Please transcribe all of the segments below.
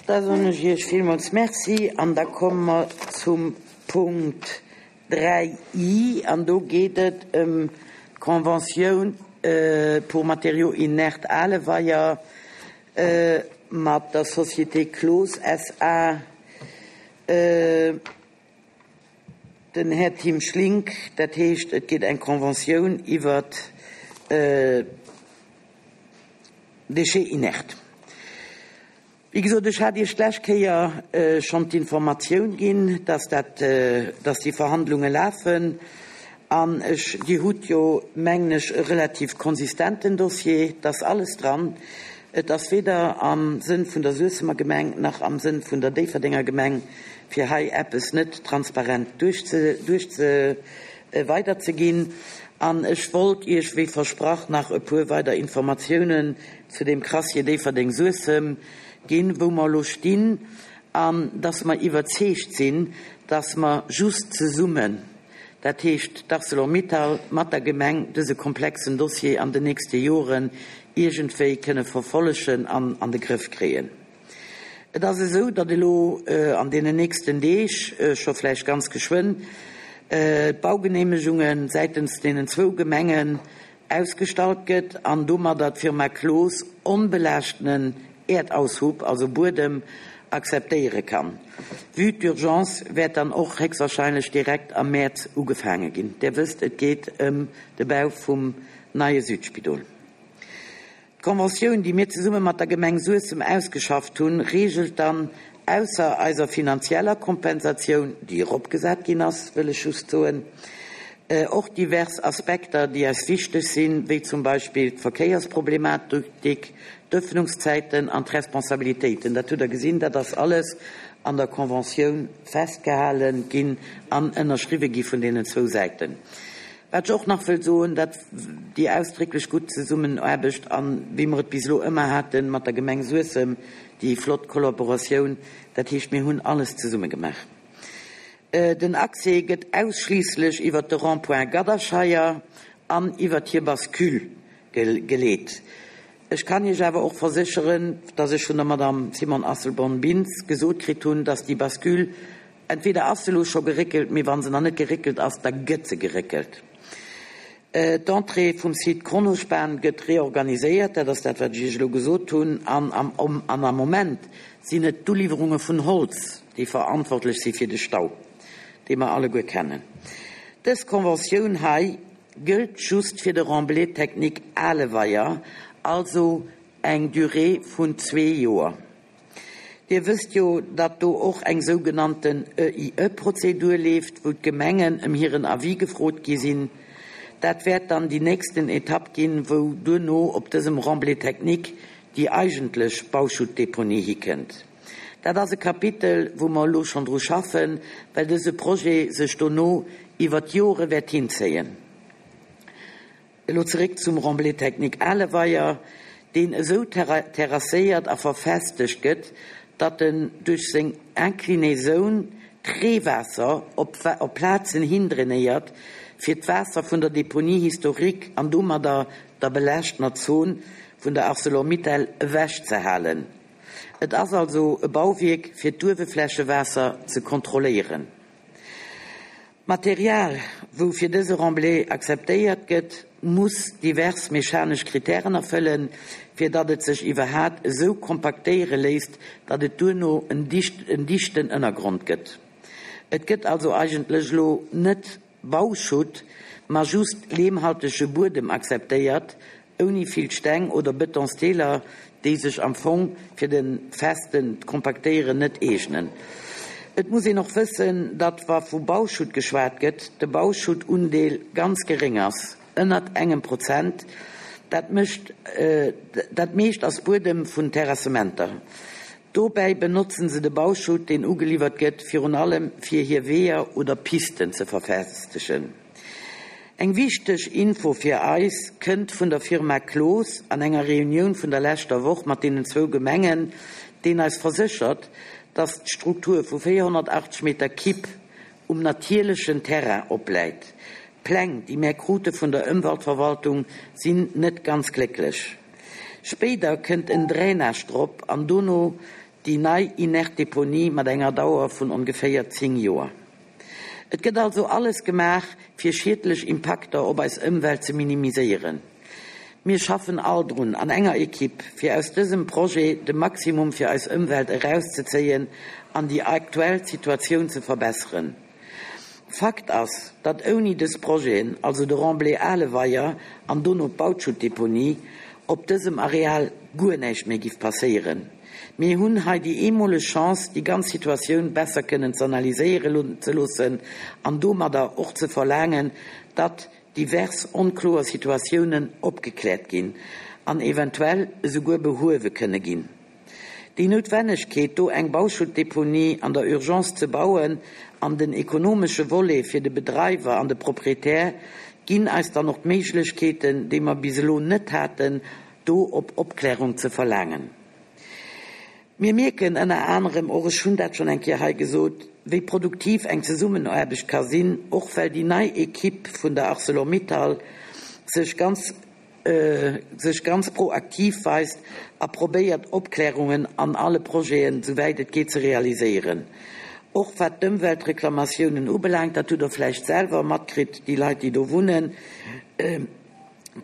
Da soen ech Iech villmools Merci an da komme mer zum Punkt 3 I an do geet et ëm d'Conventioun pour matériaux inertes Aleweier mat der Société Cloos SA. Den Här Tim Schlink, Dat heescht, et geet eng Conventioun iwwert d'Déchets inertes. Wéi gesot, ech hat Iech d'lescht Kéier schonn d'Informatioun ginn, dass dat, dass déi Verhandlunge lafen. An ech, Dir hutt jo, mengen ech, e relativ konsistenten Dossier. Et ass alles dran. Et ass weder am Sënn vun der Suessemer Gemeng nach am Sënn vun der Déifferdenger Gemeng, fir hei eppes net transparent duerchze, duerchze, weiderzeginn. An ech wollt Iech, wéi versprach, nach e puer weider Informatiounen zu deem Crassier Déifferdeng-Suessem ginn, wou mer elo stinn, an dass mer iwwerzeegt sinn, dass mer just zesummen, dat heescht d'Arcelor-Mittal mat der Gemeng, dëse komplexen Dossier an den nächste Joren iergendwéi kënne verfollegen an an de Grëff kréien. Et ass esou, datt elo an deenen nächsten Deeg, scho vläicht ganz geschwënn, d'Baugeneemegunge säitens deenen zwou Gemengen ausgestallt gëtt an domadder d'Firma Cloos onbelaaschtenen Äerdaushub, also Buedem, akzeptéiere kann. Vue d'urgence wäert dann och héchstwahrscheinlech direkt am Mäerz ugefaange ginn. Där wësst, et geet ëm de Bau vum neie Südspidol. D'Conventioun, déi mir zesumme mat der Gemeng Suessem ausgeschafft hunn, reegelt dann, ausser eiser finanzieller Kompensatioun, déi eropgesat ginn ass, wëll ech just soen, och divers Aspekter, déi eis wichteg sinn, wéi zum Beispill d'Verkéiersproblematik, d'Öffnungszäiten an d'Responsabilitéiten. Dat hutt Der gesinn, dat ass alles an der Conventioun festgehale ginn an ënnerschriwwe gi vun deenen zwou Säiten. Wat ech och nach wëll soen, dat déi ausdrécklech gutt Zesummenaarbecht an, wéi mer et bis elo ëmmer haten, mat der Gemeng Suessem, déi flott Kollaboratioun, dat heescht, mir hunn alles zesumme gemaach. Den Accès gëtt ausschliisslech iwwert de Rond-point Gadderscheier an iwwert hir Bascule geleet. Ech kann Iech awer och versécheren, dass ech vun der Madame Simone Asselborn-Bintz gesot kritt hunn, dass déi Bascule Entweder ass se elo scho geréckelt, mee wa se nach net geréckelt ass, da gëtt se geréckelt. D'Entrée vum Site Kronospan gëtt reorganiséiert, dat ass dat, wat ech Iech elo gesot hunn. An am Moment sinn et d'Uliwwerunge vun Holz, déi verantwortlech si fir de Stau, dee mer alleguer kennen. Dës Conventioun hei gëllt just fir de Remblai technique Aleweier, also eng Durée vun zwee Joer. Dir wësst jo, datt do och eng sougenannten EIE-Prozedur leeft, wou d'Gemengen ëm hiren Avis gefrot gi sinn. Dat wäert dann déi nächsten Etapp ginn, wou duerno op dësem Remblai technique déi eigentlech Bauschuttdeponie hikënnt. Dat ass e Kapitel, wou mer elo schonn dru schaffen, well dëse Projet sech dono iwwert d'Jore wäert hinzéien. Elo zeréck zum Remblai technique Aleweier, deen esou terrasséiert a verfestegt gëtt, datt en duerch seng Inclinaisoun d'Reewaasser op Plazen hin drainéiert, fir d'Waasser vun der Deponie historique an domadder der belaaschtener Zon vun der Arcelor-Mittal ewech ze halen. Et ass also e Bauwierk fir d'Ueweflächewaasser ze kontrolléieren. D'Material, wou fir dëse Remblai akzeptéiert gëtt, muss divers mechanesch Kritären erfëllen, fir datt et sech iwwerhat esou kompaktéiere léisst, datt et duerno en dichten Ënnergrond gëtt. Et gëtt also eigentlech elo net Bauschutt, ma just leemhaltege Buedem akzeptéiert, ouni vill Steng oder Betonsdeeler, déi sech am Fong fir de festen Kompaktéieren net eegnen. Et muss een och wëssen, datt wa vu Bauschutt geschwat gëtt, de Bauschuttundeel ganz geréng ass, ënnert engem Prozent. Dat mécht, dat meescht ass Buedem vun Terrassementer. Dobäi benotzen se de Bauschutt, deen ugeliwwert gëtt, virun allem fir hir Weeër oder Pisten ze verfestegen. Eng wichteg Info fir eis kënnt vun der Firma Cloos an enger Reunioun vun der leschter Woch mat deenen zwou Gemengen, deen eis verséchert, dass d'Struktur vu 480 Meter Kibb um natierlechen Terrain opläit. D'Pläng, déi mär krute vun der Ëmweltverwaltung, sinn net ganz glécklech. Spéider kënnt en Drainage drop an dono. Déi nei inert Deponie mat enger Dauer vun ongeféier 10 Joer. Et gëtt also alles gemaach, fir schiedlech Impakter op eis Ëmwelt ze minimiséieren. Mir schaffen all drun, an enger Equipe, fir aus dësem Projet de Maximum fir eis Ëmwelt erauszezéien an déi aktuell Situatioun ze verbesseren. Fakt ass, datt ouni dës Projeten, also de Remblai Aleweier an dono d'Bautschuttdeponie, op dësem Areal guer näischt méi giff passéieren. Mir hunn hei déi eemoleg Chance, déi ganz Situatioun besser kënnen z'analyséiere ze loossen an domadder och ze verlaangen, datt divers onkloer Situatiounen opgekläert ginn an eventuell esouguer behuewe kënne ginn. Déi Noutwennegkeet, do eng Bauschuttdeponie an der Urgence ze bauen an den ekonomesche Volet fir de Bedreiwer an de Proprietär ginn eis dann och d'Méiglechkeeten, déi mer bis elo net haten, do op Opklärung ze verlaangen. Mir mierken ënner anerem och, ech hunn dat schonn eng Kéier hei gesot, wéi produktiv eng Zesummenaarbecht ka sinn, och well déi nei Equipe vun der Arcelor-Mittal sech ganz sech ganz proaktiv weist a probéiert, Opklärungen an alle Projeten, souwäit et geet, ze realiséieren. Och wat d'Ëmweltreklamatiounen ubelaangt, dat hutt Der vläicht selwer matkritt, déi Leit, déi do wunnen,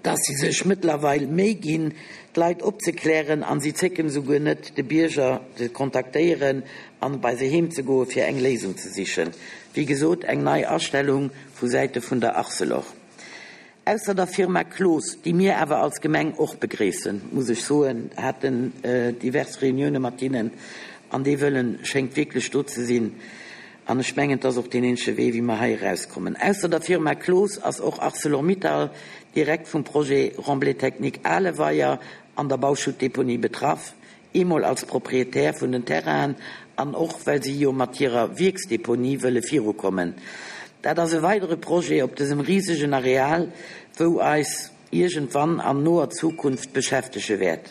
dass si sech mëttlerweil Méi ginn, d'Leit opzeklären, a si zécken esouguer net, de Bierger ze kontaktéieren an bei se heem ze goen, fir eng Léisung ze sichen. Wéi gesot, eng nei Astellung vu Säite vun der Arcelor. Ausser der Firma Cloos, déi mir awer als Gemeng och begréissen, muss ech soen, haten divers Reunioune mat hinnen, an dee Wëllen schéngt wierklech do ze sinn. An ech mengen, et ass och deen eenzege Wee, wéi mer hei erauskommen. Ausser der Firma Cloos ass och Arcelor-Mittal direkt vum Projet Remblai technique Aleweier an der Bauschuttdeponie betraff, eemol als Proprietär vun den Terrainen an och well si jo mat hirer Wierksdeponie wëlle virukommen. Dat ass e weidere Projet op dësem risegen Areal, wou eis iergendwann an noer Zukunft beschäftege wäert.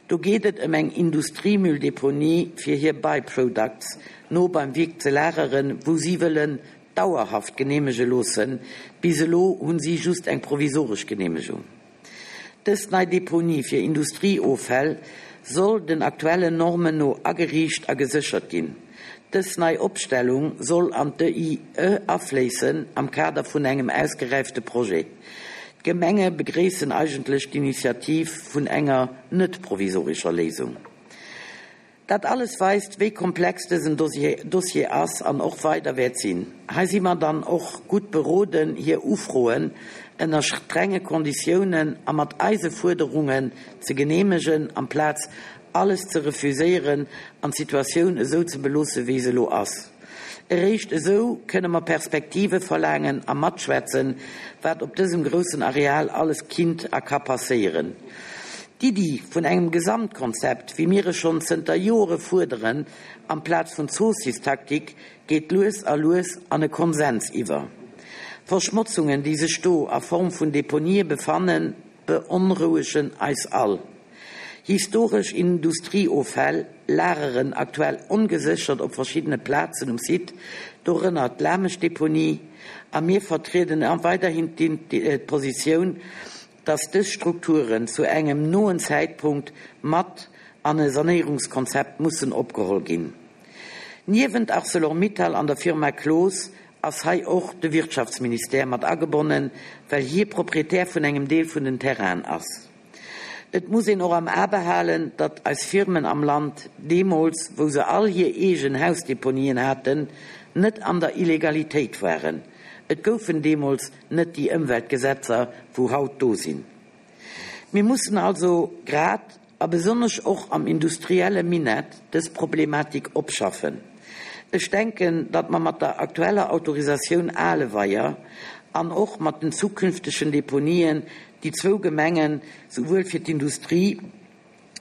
Do geet et ëm eng Industriemülldeponie fir hir By-products no beim Wierk ze lageren, wou si wëllen dauerhaft geneemege loossen. Bis elo hunn si just eng provisoresch Geneemegung. Dës nei Deponie fir Industrieoffäll soll den aktuellen Normen no ageriicht a geséchert ginn. Dës nei Opstellung soll an d'EIE afléissen am Kader vun engem ausgeräifte Projet. D'Gemenge begréissen eigentlech d'Initiativ vun enger net provisorescher Léisung. Dat alles weist, wéi komplex dësen Dossier ass an och weider wäert sinn. Hei si mer dann och gutt beroden, hir Ufroen ënner strenge Konditiounen a mat eise Fuerderungen ze geneemegen, amplaz alles ze refuséieren an d'Situatioun esou ze beloosse wéi se elo ass. Eréischt esou kënne mer Perspektive verlaangen a matschwätzen, wat op dësem groussen Areal alles kinnt a ka passéieren. D'Iddi vun engem Gesamtkonzept, wéi mir e schonn zënter Joere fuerderen, amplaz vun Zoossistaktik, geet lues a lues an e Konsens iwwer. Verschmotzungen, déi sech do a Form vun Deponië befannen, beonrouegen eis all. Historesch Industrieoffäll lageren aktuell ongeséchert op verschiddene Plazen um Site, dorënner d'Lameschdeponie, a mir vertrieden weiderhin d'Positioun, dass dës Strukturen zu engem noen Zäitpunkt mat an e Sanéierungskonzept mussen opgeholl ginn. Niewent Arcelor-Mittal an der Firma Cloos ass hei och de Wirtschaftsministère mat agebonnen, well hie Proprietär vun engem Deel vun den Terrainen ass. Et muss een och am A behalen, datt eis Firmen am Land deemools, wou se all hir eegen Hausdeponien haten, net an der Illegalitéit waren. Et goufen deemools net déi Ëmweltgesetzer, wou haut do sinn. Mir mussen also grad a besonnesch och am industrielle Minett dës Problematik opschaffen. Ech denken, datt mer mat der aktueller Autorisatioun Aleweier an och mat den zukünftegen Deponien déi zwou Gemengen souwuel fir d'Industrie,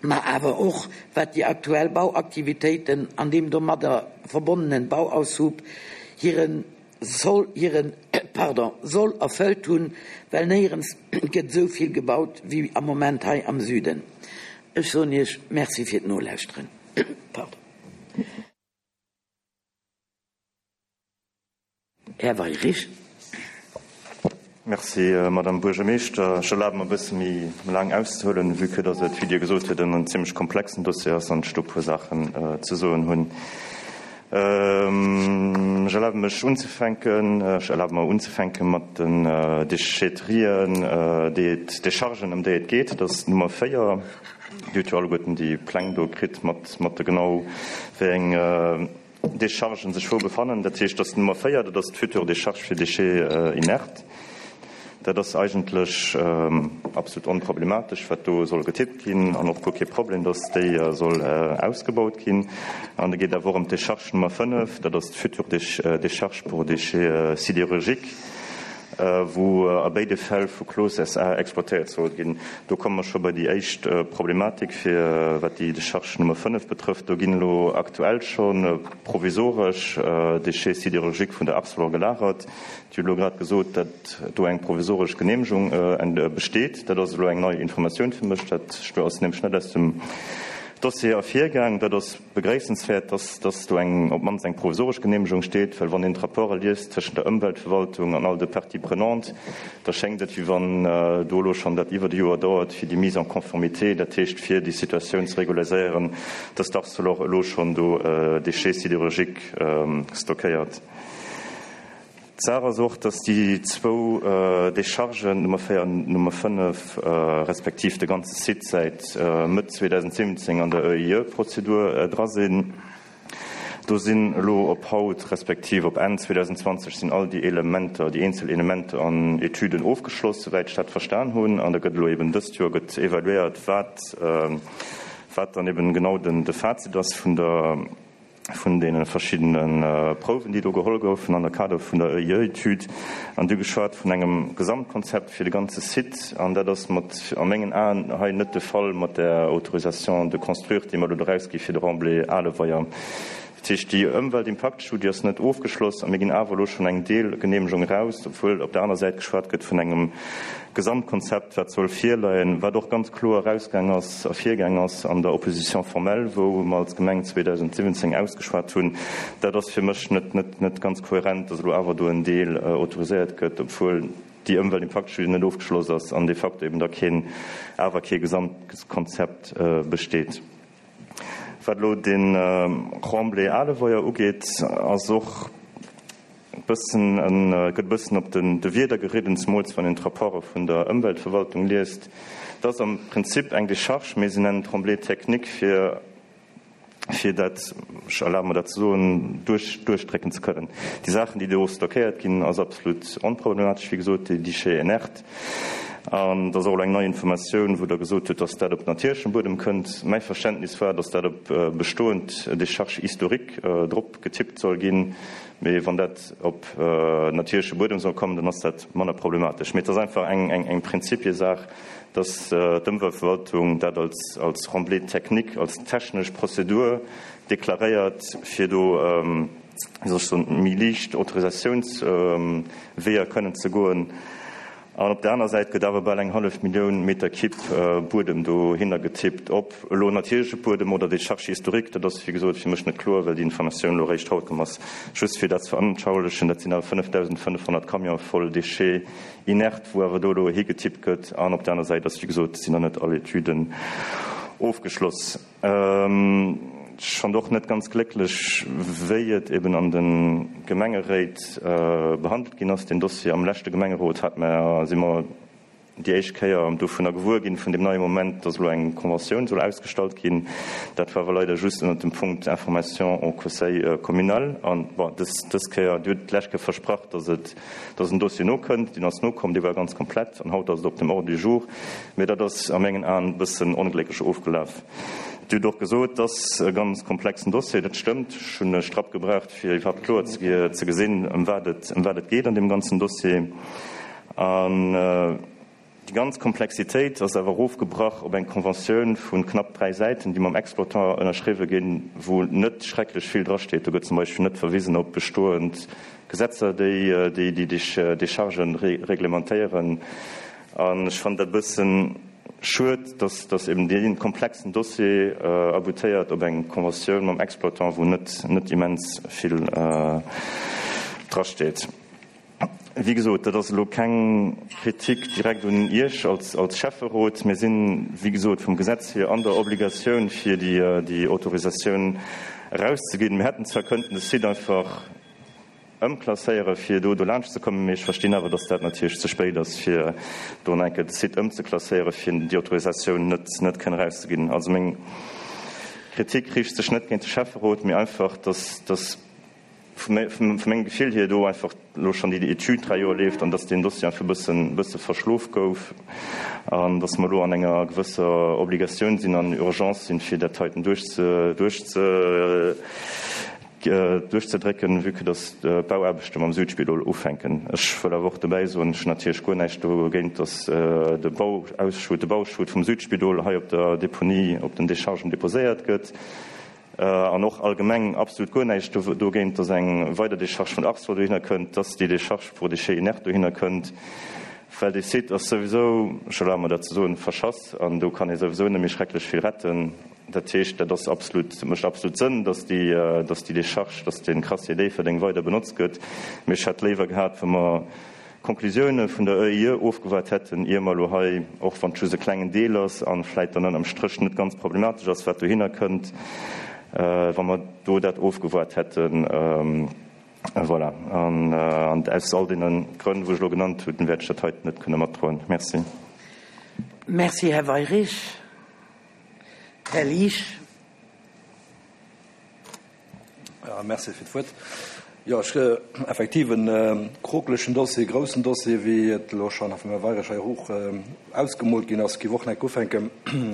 ma awer och wat déi aktuell Bauaktivitéiten an deem domadder verbonnenen Bauaushub hire Soll, hiren, pardon, Soll erfëllt hunn, well néierens gëtt esou vill gebaut wéi am Moment hei am Süden. Ech soen Iech Merci fir d'Nolauschteren. Pardon. Här Weirich. Merci, Madame Buergermeeschter. Ech erlabe mer e bësse méi laang auszehuelen, vue que dass et, wéi Dir gesot hutt, en zimlech komplexen Dossier ass an ech do e puer Saachen ze soen hunn. Ech erlabe mech unzefänken, ech erlabe mer unzefänke mat den Déchetterien, déi et, Déchargen, ëm déi et geet. Dat ass d'Nummer 4. Dir hutt jo alleguerten déi Pläng do kritt mat, mat de genau wéi eng Déchargen sech wou befannen. Dat heescht, dass d'Nummer 4, dat ass d'future Décharge fir Déchets inertes. Dat ass eigentlech absolut onproblematesch, wat do soll getippt ginn, an och guer kee Problem, dass déi soll ausgebaut ginn. An da geet awer och ëm d'Décharge Nummer 5, dat ass d'future Décharge pour déchets sidérurgiques, wou a béide Fäll vu Cloos SA exploitéiert soll ginn. Do komme mer scho bei déi éischt Problematik, fir wat déi Décharge Nummer 5 betrëfft. Do ginn elo aktuell scho provisoresch Déchets sidérurgiques vun der Arcelor gelagert. Dir hutt elo grad gesot, datt do eng provisoresch Genehmegung besteet. Dat ass elo eng nei Informatioun fir mech. Dat ass nämlech net aus dem Dossier ervirgaang. Dat ass Begréissenswäert, dass dass do eng, op d'mannst eng provisoresch Genehmegung steet, well wann een d'Rapporte liest tëschent der Ëmweltverwaltung an all de Parties prenantes, da schéngt et, wéi wann do elo schonn dat iwwert e Joer dauert, fir déi Mise en conformité, dat heescht fir déi Situatioun ze regulariséieren, dass d'Arcelor elo schonn do Déchets sidérurgiques stockéiert. D'Saach ass och, dass déi zwou Déchargen, Nummer 4 an Nummer 5, respektiv de ganze Site säit Mëtt 2017 an der EIE-Prozedur dra sinn. Do sinn elo op haut, respektiv op Enn 2020 sinn all déi Elementer, déi eenzel Elementer an Etüden ofgeschloss, souwäit ech dat verstan hunn. An da gëtt elo eben dëst Joer gëtt evaluéiert, wat, wat dann eben genau den, de Fazit ass vun der, vun deene verschiddene Prouwen, déi do geholl goufen an der Kader vun der EIE-Etüd, an du geschwat vun engem Gesamtkonzept fir de ganze Site. An dat ass mat, a mengen Aen, hei net de Fall mat där Autorisation de construire, déi mer elo do erausgi fir de Remblai Aleweier. Dat heescht, déi Ëmweltimpaktstudie ass net ofgeschloss a mir ginn awer elo schonn eng Deelgeneemegung eraus, obwuel op der aner Säit geschwat gëtt vun engem Gesamtkonzept, wat soll virleien, wat och ganz kloer erausgaang ass, ervirgaang ass an der Opposition formelle, wou mer als Gemeng 2017 ausgeschwat hunn. Dat ass fir mech net, net, net ganz kohärent, dass elo awer do en Deel autoriséiert gëtt, obwuel déi Ëmweltimpaktstudie net ofgeschloss ass an de facto eben da keen, awer kee Gesamtkonzept besteet. Wat elo de Remblai Aleweier ugeet, ass och e bëssen, gëtt e bëssen op de Wierder geridden, zemools wann een d'Rapporte vun der Ëmweltverwaltung liest. Et ass am Prinzip eng Decharge, mee se nennen et Remblai technique, fir, fir dat, ech erlabe mer dat ze soen, duerch, duerchdrécken ze kënnen. Déi Saachen, déi do stockéiert ginn, ass absolut onproblematesch, wéi gesot, déi Déchets inertes. An et ass och elo eng nei Informatioun, wou Der gesot hutt, dass dat op natierlechem Buedem kënnt. Mäi Verständnis war, dass dat op bestoend Décharges historiques drop getippt soll ginn. Mee wann dat op natierleche Buedem soll kommen, dann ass dat manner problematesch. Mee et ass einfach eng Prinzipiesaach, dass d'Ëmweltverwaltung dat als Remblai technique, als technesch Prozedur deklaréiert, fir do, wéi soll ech soen, méi liicht Autorisatiounsweeër kënnen ze goen. An op der aner Säit gëtt awer bal eng hallef Millioun Meter Kibb Buedem dohinner getippt. Ob elo natierleche Buedem oder Décharge historique, dat ass wéi gesot fir mech net kloer, well déi Informatioun elo eréischt haut komm ass. Just fir dat ze veranschaulichen, dat sinn awer 5.500 Camionë voll Déchets inertes, wou awer do elo higetippt gëtt. An op der aner Säit ass, wéi gesot, sinn nach net all Etüden ofgeschloss. Ech fand och net ganz glécklech, wéi et eben an de Gemengeréit behandelt ginn ass, deen Dossier. Am leschte Gemengerot hat mer, si mer déi éischt Kéier dovunner gewuer ginn, vun deem neie Moment, dass elo eng Conventioun soll ausgestallt ginn. Dat war awer leider just ënnert dem Punkt Information au Conseil communal. An, bon, dës, dës Kéier, Dir hutt d'lescht Kéier versprach, dass et, dass en Dossier nokënnt. Deen ass nokomm, dee war ganz komplett an haut ass et op dem Ordre du jour. Mee dat ass a mengen Aen e bëssen onglécklech ofgelaf. Dir hutt och gesot, et ass e ganz komplexen Dossier. Dat stëmmt. Ech hunn e Strapp gebraucht, fir iwwerhaapt kloer ze gesinn, ëm wat et, ëm wat et geet an deem ganzen Dossier. An déi ganz Komplexitéit ass awer erofgebrach op eng Conventioun vu knapp 3 Säiten, déi mam Exploitant ënnerschriwwe ginn, wou net schrecklech vill drasteet. Do gëtt zum Beispill net verwisen op bestoend Gesetzer, déi déi Déchargen reglementéieren. An ech fannen dat e bëssen schued, dass dass eben dee komplexen Dossier aboutéiert op eng Conventioun mam Exploitant, wou net net immens vill drasteet. Wéi gesot, dat ass elo keng Kritik direkt un Iech als Schäfferot. Mir sinn, wéi gesot, vum Gesetz hier an der Obligatioun, fir déi Autorisatioun erauszeginn. Mir hätten zwar kënnten de Site einfach ëmklasséieren, fir do dolaanscht ze kommen, mee ech verstinn awer, datt dat natierlech ze spéit ass, fir do nach eng Kéier de Site ëmzeklasséieren, fir déi Autorisatioun net kënnen erauszeginn. Also meng Kritik riicht sech net géint de Schäfferot, mee einfach, datt vu mengem Gefill hier do einfach elo schonn déi Etüd 3 Joer leeft an dass deen Dossier einfach e bëssen, bësse verschlof gouf an dass mer elo an enger gewësser Obligatioun sinn an Urgence sinn, fir dat heiten duerchze, duerchze, duerchzedrécken, vue que dass d'Bauaarbechte mam Südspidol ufänken. Ech wëll awer och dobäi soen, ech hunn natierlech guer näischt dogéint, dass de Bauausschutt, de Bauschutt vum Südspidol hei op der Deponie, op den Dechargen deposéiert gëtt. An och allgemeng absolut guer näischt dogéint, dass eng weider Décharge vun Arcelor dohinner kënnt, dass déi Décharge pour déchets inertes dohinner kënnt, well dee Site ass souwisou, ech erlabe mer dat ze soen, verschass an do kann ee souwisou net méi schrecklech vill retten. Dat heescht, dat ass absolut, mécht absolut Sënn, dass déi, dass déi Décharge, dass dee Crassier Déifferdeng weider benotzt gëtt. Mee ech hätt léiwer gehat, wa mer D'Conclusioune vun der ÖIE ofgewaart hätten, ier mer elo hei, och wann et just e klengen Deel ass a vläit dann ënnerm Stréch net ganz problematesch ass, wat dohinner kënnt, wa mer do dat ofgewaart hätten. Voilà. An aus all deene Grënn, wou ech elo genannt hunn, wäert ech dat heiten net kënne matdroen. Merci. Merci, Här Weyrich. Här Liesch. Ja, merci fir d'Wuert. Jo, ech, effektiv en krokelegen Dossier, groussen Dossier, wéi et elo schonn vum Här Weirich hei och ausgemoolt ginn ass. Géif och nach ufänke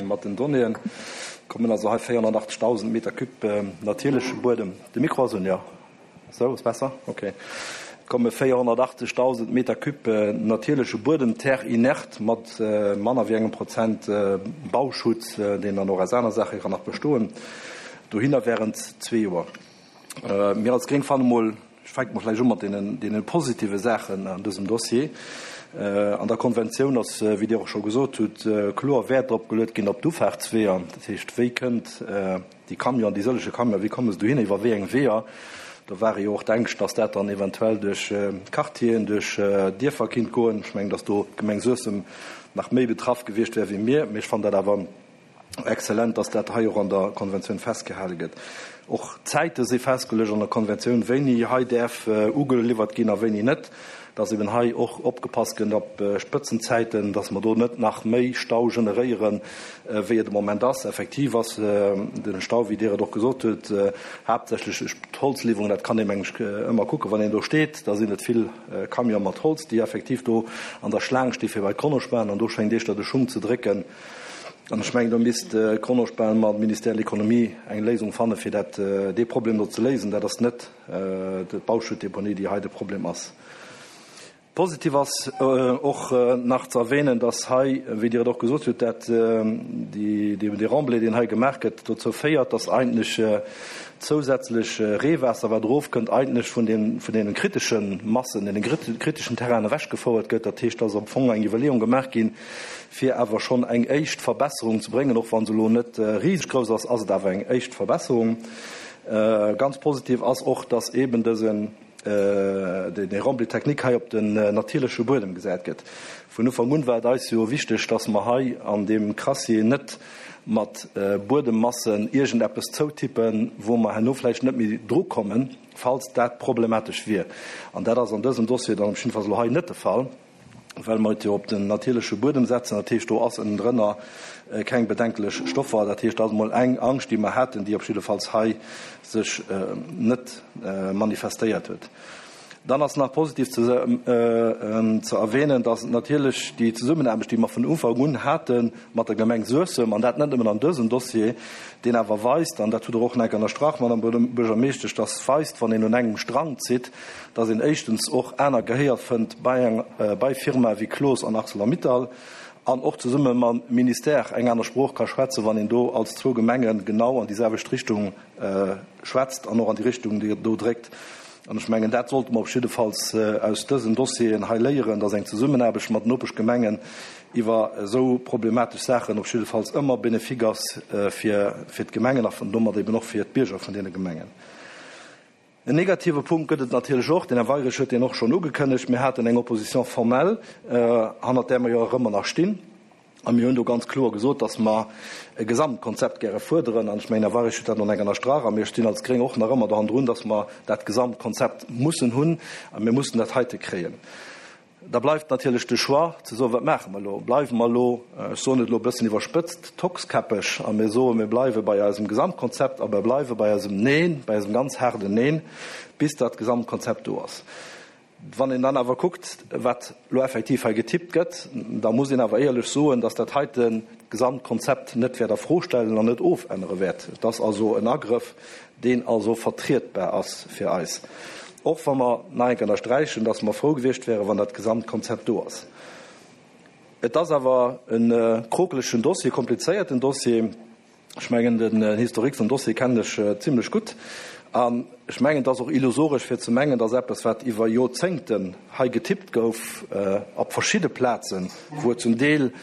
mat den Donnéeën. Kommen also hei 480.000 Meter cube natierleche Buedem. De Mikro ass un, jo. Sou, ass besser? Ok. Et komme 480.000 Meter cube natierleche Buedem, Terre inerte, mat manner wéi engem Prozent Bauschutt, deen dann och aus aner Saache kann nach bestoen, dohinner während zwee Joer. Mir als Gréng fanne mol, ech fänke mol vläicht u mat deenen, deene positive Saachen an dësem Dossier. An der Konventioun ass, wéi Dir och scho gesot hutt, kloer Wäert drop geluet ginn op d'Ufahrtsweeër. Dat heescht, wéi kënnt Déi Camionen, déi sëllege Camionen, wéi komme se dohinner, iwwer wéi eng Weeër? Do ware jo och d'Ängscht, datt dat dann eventuell duerch Quartieren, duerch Dierfer kinnt goen. Ech mengen, datt do d'Gemeng Suessem nach méi betraff gewiescht wär wéi mir. Mee ech fannen dat awer exzellent, datt dat hei och an der Konventioun festgehale gëtt. Och d'Zäite si festgeluecht an der Konventioun, wéini hei däerf ugeliwwert ginn a wéini net. Dass eben hei och opgepasst gëtt op Spëtzenzäiten, dass mer do net nach méi Stau generéieren, wéi et de Moment ass. Effektiv ass de Stau, wéi Dir et och gesot hutt, haaptsächlech duerch d'Holzliwwerung. Dat kann ee meng ech ëmmer kucken, wann een do steet, da sinn et vill Camione mat Holz, déi effektiv do an der Schlaang sti fir bei d'Kronospan. An do schéngt éischter de Schung ze drécken. An ech mengen, do misst d'Kronospan mam Ministère de l'Économie eng Léisung fanne fir dat, dee Problem do ze léisen. Dat ass net d'Bauschuttdeponie, déi hei de Problem ass. Positiv ass och nach ze erwähnen, dass hei, wéi Dir et och gesot hutt, dat dee Remblai, deen hei gemaach gëtt, dozou féiert, dass eigentlech zousätzlech Reewaasser, wat erofkënnt, eigentlech vun deene kritesche Massen, deene kriteschen Terrainen ewechgefouert gëtt. Dat heescht, dass am Fong eng Iwwerleeung gemaach ginn, fir awer schonn eng éischt Verbesserung ze bréngen. Och wa se elo net riseg grouss ass, ass et awer eng éischt Verbesserung. Ganz positiv ass och, dass eeben dësen, dee Remblai technique hei op den natierleche Buedem gesat gëtt. Vun Ufank un war et eis jo wichteg, dass mer hei an deem Crassier net mat Buedemmassen iergendeppes zoutippen, wou mer herno vläicht net méi drukommen, falls dat problematesch wier. An dat ass an dësem Dossier dann op jiddefalls elo hei net de Fall. well mer et jo op den natierleche Buedem setzen. Dat heescht, do ass ënnendrënner keng bedenklech Stoffer. Dat heescht, dat ass emol eng Angscht, déi mer haten, déi op jiddefalls hei sech net manifestéiert huet. Dann ass nach positiv ze erwähnen, dass natierlech déi Zesummenaarbecht, déi mer vun Ufank un hate mat der Gemeng Suessem, an dat net nëmmen an dësem Dossier, deen awer weist, an dat hutt Der och nach ënnerstrach, Madame Buergermeeschtesch, dass weist, wann een un engem Strang zitt, dass een éischtens och aner Gehéier fënnt bei eng bei Firmae wéi Cloos an Arcelor-Mittal an och zesumme mam Ministère eng aner Sprooch ka schwätzen, wann een do als zwou Gemenge genau an déi selwecht Richtung schwätzt an och an déi Richtung do dréckt. An ech mengen, dat sollte mer op jiddefalls aus dësen Dossieren hei léieren, dass eng Zesummenaarbecht mat Nopeschgemengen iwwer esou problematesch Saachen op jiddefalls ëmmer bénéfique ass fir fir d'Gemengen a domat eben och fir d'Bierger vun deene Gemengen. En negative Punkt gëtt et natierlech och, den Här Weirich huet deen och schonn ugekënnegt, Mir haten eng Opposition formelle, hannert där mer jo och ëmmer nach stinn, a mir hunn do ganz kloer gesot, dass mer e Gesamtkonzept gäre fuerderen. An ech mengen, Här Weirich huet dat nach eng ënnerstrach, a mir stinn als Gréng och nach ëmmer dohannendrun, dass mer dat Gesamtkonzept mussen hunn a mir mussen dat heite kréien. Da bleift natierlech de Choix ze soen, Wat maache mer elo? Bleiwe mer elo, ech soen et elo e bëssen iwwerspëtzt, tockskäppeg a mir soen, mir bleiwe bei eisem Gesamtkonzept a mir bleiwe bei eisem Neen, bei eisem ganz haarden Neen, bis dat Gesamtkonzept do ass. Wann een dann awer kuckt, wat elo effektiv hei getippt gëtt, da muss een awer éierlech soen, dass dat heite Gesamtkonzept net wäert a Fro stellen an net ofännere wäert. Et ass also en Agrëff, deen also vertrietbar ass fir eis, och wa mer nach eng Kéier ënnersträichen, dass mer frou gewiescht wäeren, wann dat Gesamtkonzept do ass. Et ass awer e krokelegen Dossier, e komplizéierten Dossier. Ech mengen, den Historique vum Dossier kennen ech zimlech gutt. An ech mengen, et ass och illusoresch fir ze mengen, dass eppes, wat iwwer Jorzéngten hei getippt gouf op verschidde Plazen, wou et zum Deel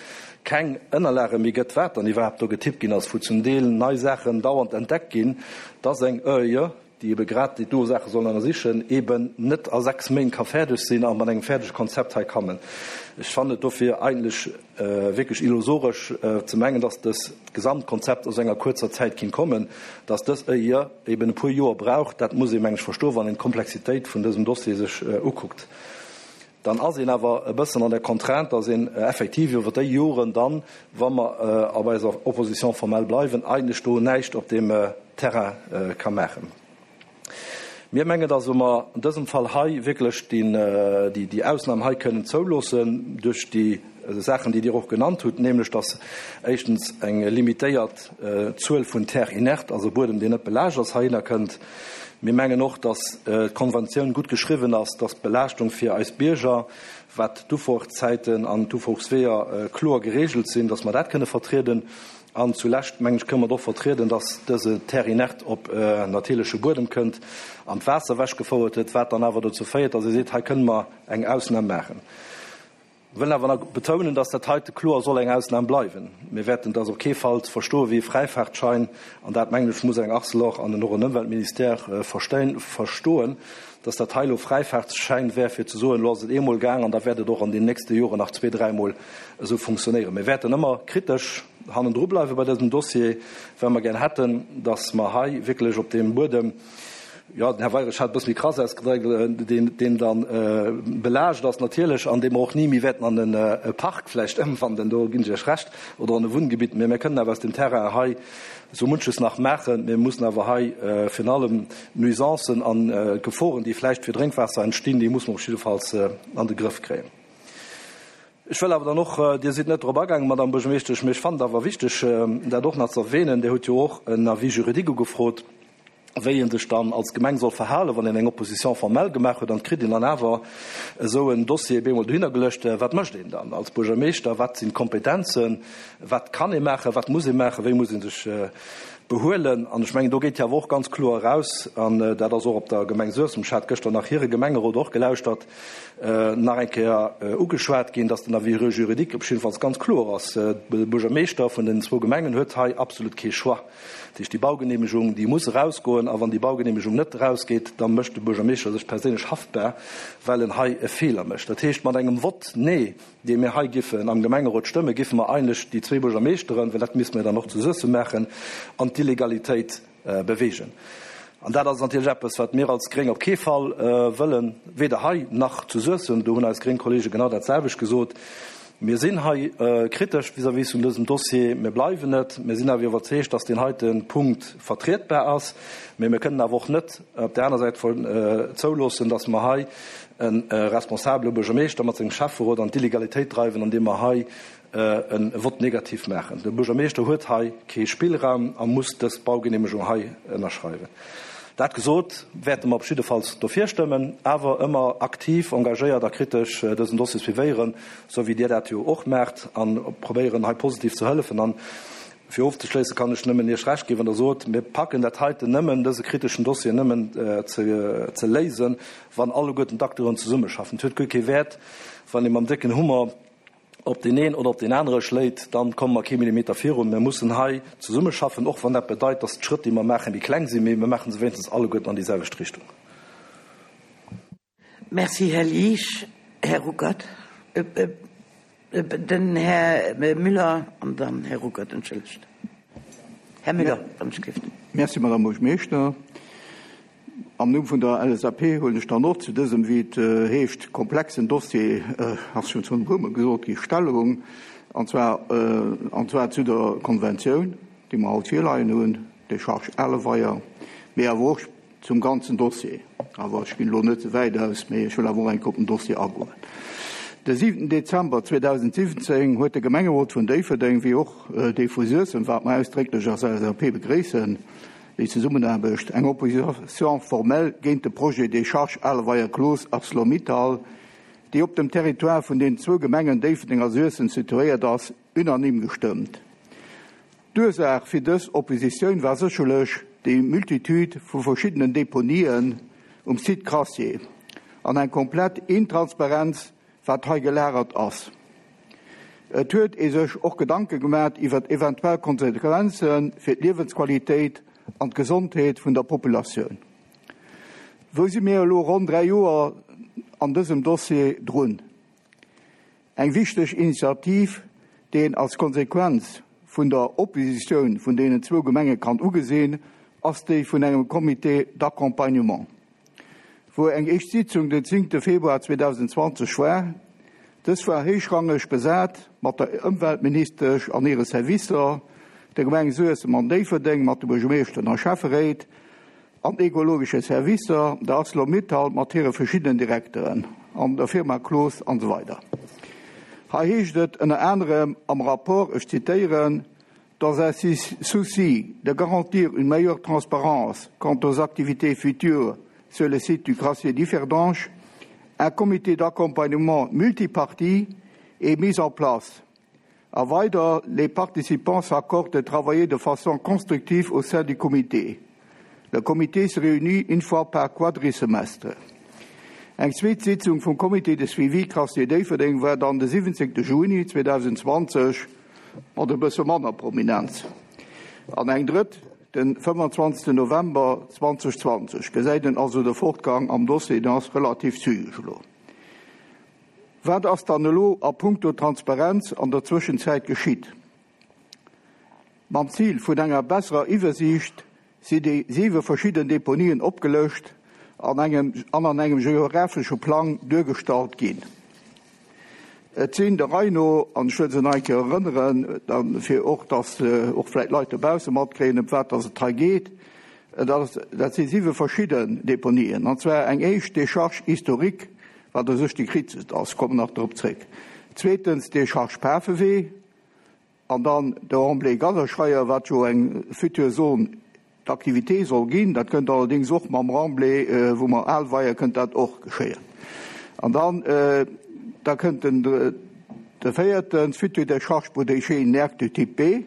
keng Ënnerlage méi gëtt, wat dann iwwerhaapt do getippt ginn ass, wou zum Deel nei Saachen dauernd entdeckt ginn, dass eng ÖIE, déi ebe grad déi do Saache soll ënnersichen, eben net a 6 Méint ka fäerdeg sinn a mat engem fäerdege Konzept hei kammen. Ech fannen et dofir eigentlech wierklech illusoresch ze mengen, dass dës Gesamtkonzept a sou enger kuerzer Zäit kinnt kommen. Dass dës ÖIE eben e puer Joer brauch, dat muss ee meng ech verstoen, wann een d'Komplexitéit vun dësem Dossier sech ukuckt. Dann ass een awer e bëssen an der Contrainte, dass een effektiv iwwer déi Joren dann, wa mer op eiser Opposition formelle bleiwen, eigentlech do näischt op deem Terrain ka maachen. Mir mengen, dass mer an dësem Fall hei wierklech déi Ausnam hei kënnen zouloossen duerch déi Saachen, déi Dir och genannt hutt, nämlech dass éischtens eng limitéiert Zuel vun Terre inerte, also Buedem, deen net belaascht ass, heihinner kënnt. Mir mengen och, dass d'Konventioun gutt geschriwwen ass, dass d'Belaaschtung fir eis Bierger, wat d'Ufuerzäiten an d'Ufuersweeër kloer geregelt sinn, dass mer dat kënne vertrieden. An zulescht, mengen ech, kënne mer et och vertrieden, dass dëse Terre inerte op natierleche Buedem kënnt an d'Waasser ewechgefouert huet, wat dann awer dozou féiert, dass ee seet, hei kënne mer eng Ausnam maachen. Wëll awer nach betounen, dass dat heite kloer soll eng Ausnam bleiwen. Mir wäerten dass op kee Fall verstoe wéi e Fräifaartschein, an dat, mengen ech, muss eng Arcelor an och en Ëmweltministère verstoen, dass dat hei elo Fräifaartsschäin wär, fir ze soen, elo ass et eemol gaang an da wäert et och an den nächste Joren nach zwee-, dräimol esou funktionéieren. Mir wäerten ëmmer kritesch hannendru bleiwe bei dësem Dossier, well mer gär hätten, dass mer hei wierklech op deem Buedem, jo, den Här Weirich hat e bësse méi krass ausgedréckt, deen, deen da belaascht ass natierlech an dee mer och ni méi wäerten an e Park vläicht ëmwandeln, do ginn ech Iech Recht, oder an e Wunngebitt. Mä mir kënnen awer aus dem Terrain hei esou munches nach maachen. Mir mussen awer hei virun allem d'Nuisancen an d'Geforen, déi vläicht fir Drénkwaasser entstinn, déi musse mer op jiddefalls an de Grëff kréien. Ech wëll awer dann och, Dir sidd net drop agaangen, Madame Buergermeeschtesch, mä ech fannen et awer wichteg, dat och nach ze erwähnen, Dir hutt jo och en Avis juridique ugefrot, wéi ee sech dann als Gemeng soll verhalen, wann een eng Opposition formelle gemaach huet an et kritt een dann awer esou en Dossier bemol dohinner geluecht. Wat mécht een dann als Buergermeeschter? Wat sinn d'Kompetenzen? Wat kann ee maachen? Wat muss ee maachen? Wéi muss ee sech behuelen? An ech mengen, do geet jo awer och ganz kloer eraus, an dat ass och op der Gemeng Suessem, ech hat gëschter nach hire Gemengerot och gelauschtert, nach eng Kéier ugeschwat ginn, dass den Avis juridique op jiddefalls ganz kloer ass, De Buergermeeschter vun den zwou Gemengen huet hei absolut kee Choix. Dat heescht, déi Baugenehmegung, déi muss erausgoen. A wann déi Baugenehmegung net erausgeet, da mécht de Buergermeeschter sech perséinlech haftbar, well en hei e Feeler mécht. Dat heescht, mat engem Vott Nee, dee mir hei giffen am Gemengerot stëmmen, giffe mer eigentlech déi zwee Buergermeeschteren, well dat misste mir dann och zu Suessem maachen, an d'Illegalitéit bewegen. An dat ass natierlech eppes, wat mir als Gréng op kee Fall wëllen, weder hei nach zu Suessem. Do hunn eis gréng Kollege genau dat selwecht gesot. Mir sinn hei kritesch vis-à-vis vun dësem Dossier. Mir bleiwen et. Mir sinn awer iwwerzeegt, dass deen heite Punkt vertrietbar ass. Mee mir kënnen awer och net op där aner Säit zouloossen, dass mer hei e responsabele Buergermeeschter mat sengem Schäfferot an d'Illegalitéit dreiwen, andeem mer hei e Vote négatif maachen. De Buergermeeschter huet hei kee Spillraum a muss dës Baugenehmegung hei ënnerschreiwen. Dat gesot, wäerte mer op jiddefalls dofir stëmmen, awer ëmmer aktiv, engagéiert a kritesch dësen Dossier suivéieren, esou wéi Dir dat jo och maacht, a probéieren hei positiv ze hëllefen. An fir ofzeschléissen, kann ech nëmmen Iech Recht ginn, wann Der sot, mir packen dat heiten nëmmen, dëse kriteschen Dossier nëmmen ze léisen, wann alleguerten d'Acteuren zesummeschaffen. Et huet guer kee Wäert, wann ee mam décken Hummer op deen een oder op deen anere schléit, dann komme mer kee Millimeter virun. Mir mussen hei zesummeschaffen, och wann dat bedeit, dass d'Schrëtt, déi mer maachen, méi kleng sinn, mee mir maache se wéinstens alleguerten an déi selwecht Richtung. Merci, Här Liesch. Här Ruckert. Den Här Müller an dann Här Ruckert, entschëllegt. Här Müller, wann ech gelift. Merci, Madame Buergermeeschter. Am Numm vun der LSAP huelen ech dann och zu dësem, wéi et heescht, komplexen Dossier, ass schonn e puermol gesot gi, Stellung, an zwar, an zwar zu der Konventioun, déi mer haut virleien hunn, Décharge Aleweier, mee awer och zum ganzen Dossier. Awer ech ginn elo net ze wäit aus, mee ech wëll awer och eng Kéier op den Dossier agoen. De 7 Dezember 2017 huet de Gemengerot vun Déifferdeng, wéi och dee vu Suessem, wat mer ausdrécklech als LSAP begréissen, déi Zesummenaarbecht, eng Opposition formelle géint de Projet Décharge Aleweier-Cloos Arcelor-Mittal, déi op dem Territoire vun den zwou Gemengen Déifferdeng a Suessem situéiert ass, unanime gestëmmt. D'Ursaach fir dës Oppositioun war sécherlech déi Multitude vu verschiddenen Deponien um Site Crassier an eng komplett Intransparenz, wat hei gelagert ass. Et huet ee sech och Gedanke gemat iwwert eventuell Konsequenze fir d'Liewensqualitéit an d'Gesondheet vun der Populatioun. Wou si mir elo ronn 3 Joer an dësem Dossier drun? Eng wichteg Initiativ, déi een als Konsequenz vun der Oppositioun vun deenen zwou Gemenge kann ugesinn, ass déi vun engem Comité d'accompagnement, wou eng éischt Sitzung den 10 Februar 2020 war. Dës war héichrangeg besat mat der Ëmweltministesch an hire Servicer, der Gemeng Suessem an Déifferdeng mat de Buergermeeschteren a Schäfferéit, an ekologesche Servicer, der Arcelor-Mittal mat hire verschiddenen Direkteren an der Firma Cloos an esou weider. Hei heescht et ënner anerem am Rapport, ech zitéieren, Dans un souci de garantir une meilleure transparence quant aux activités futures sur le site du Crassier Differdange, un comité d'accompagnement multiparti est mis en place. A weider, Les participants s'accordent de travailler de façon constructive au sein du comité. Le comité se réunit une fois par quadrisemestre. Eng zweet Sitzung vum Comité de suivi Crassier Déifferdeng war dann de 17 Juni 2020 mat e bësse manner Prominenz an eng drëtt den 25 November 2020. Gesäit een also de Fortgang am Dossier, deen ass relativ zügeg elo. Wat ass dann elo a puncto Transparenz an der Zwëschenzäit geschitt? Mam Zil vun enger besserer Iwwersiicht si déi siwe verschidden Deponien opgelëscht an engem an an engem geographesche Plang duergestallt ginn. Et sinn der Rei no, an ech wëll se nach eng Kéier erënneren, fir och datt och vläicht d'Leit dobausse matkréien, ëm wat datt et hei geet, dat si siwe verschidden Deponien, an zwar eng éischt Décharge historique, wat u sech déi kriteschst ass, kommen nach drop zréck, zweetens Décharge Pafewee an dann de Remblai Gadderscheier, wat jo eng futur Zone d'activité soll ginn. Dat kënnt allerdéngs och mam Remblai, wou mer al Weier, kënnt dat och geschéien. An dann, da kënnt den, de véierten, future Décharge pour déchets inertes du type B.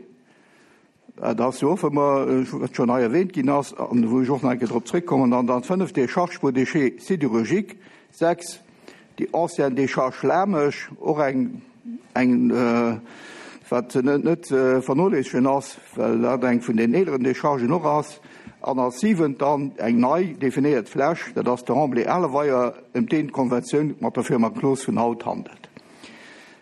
Dat ass jo och, wou mer, wat schonn hei erwähnt ginn ass an wou ech och nach eng Kéier drop zréckkommen. An dann fënneft, Décharge pour déchets sidérurgiques. Sechs, déi ancienne Décharge Lamesch, och eng, eng, wat net, net ze vernoléissegen ass, well dat eng vun den eeleren Déchargen och ass. An als siwent dann eng nei definéiert Fläch, dat ass de Remblai Aleweier, ëm deen d'Konventioun mat der Firma Cloos vun haut handelt.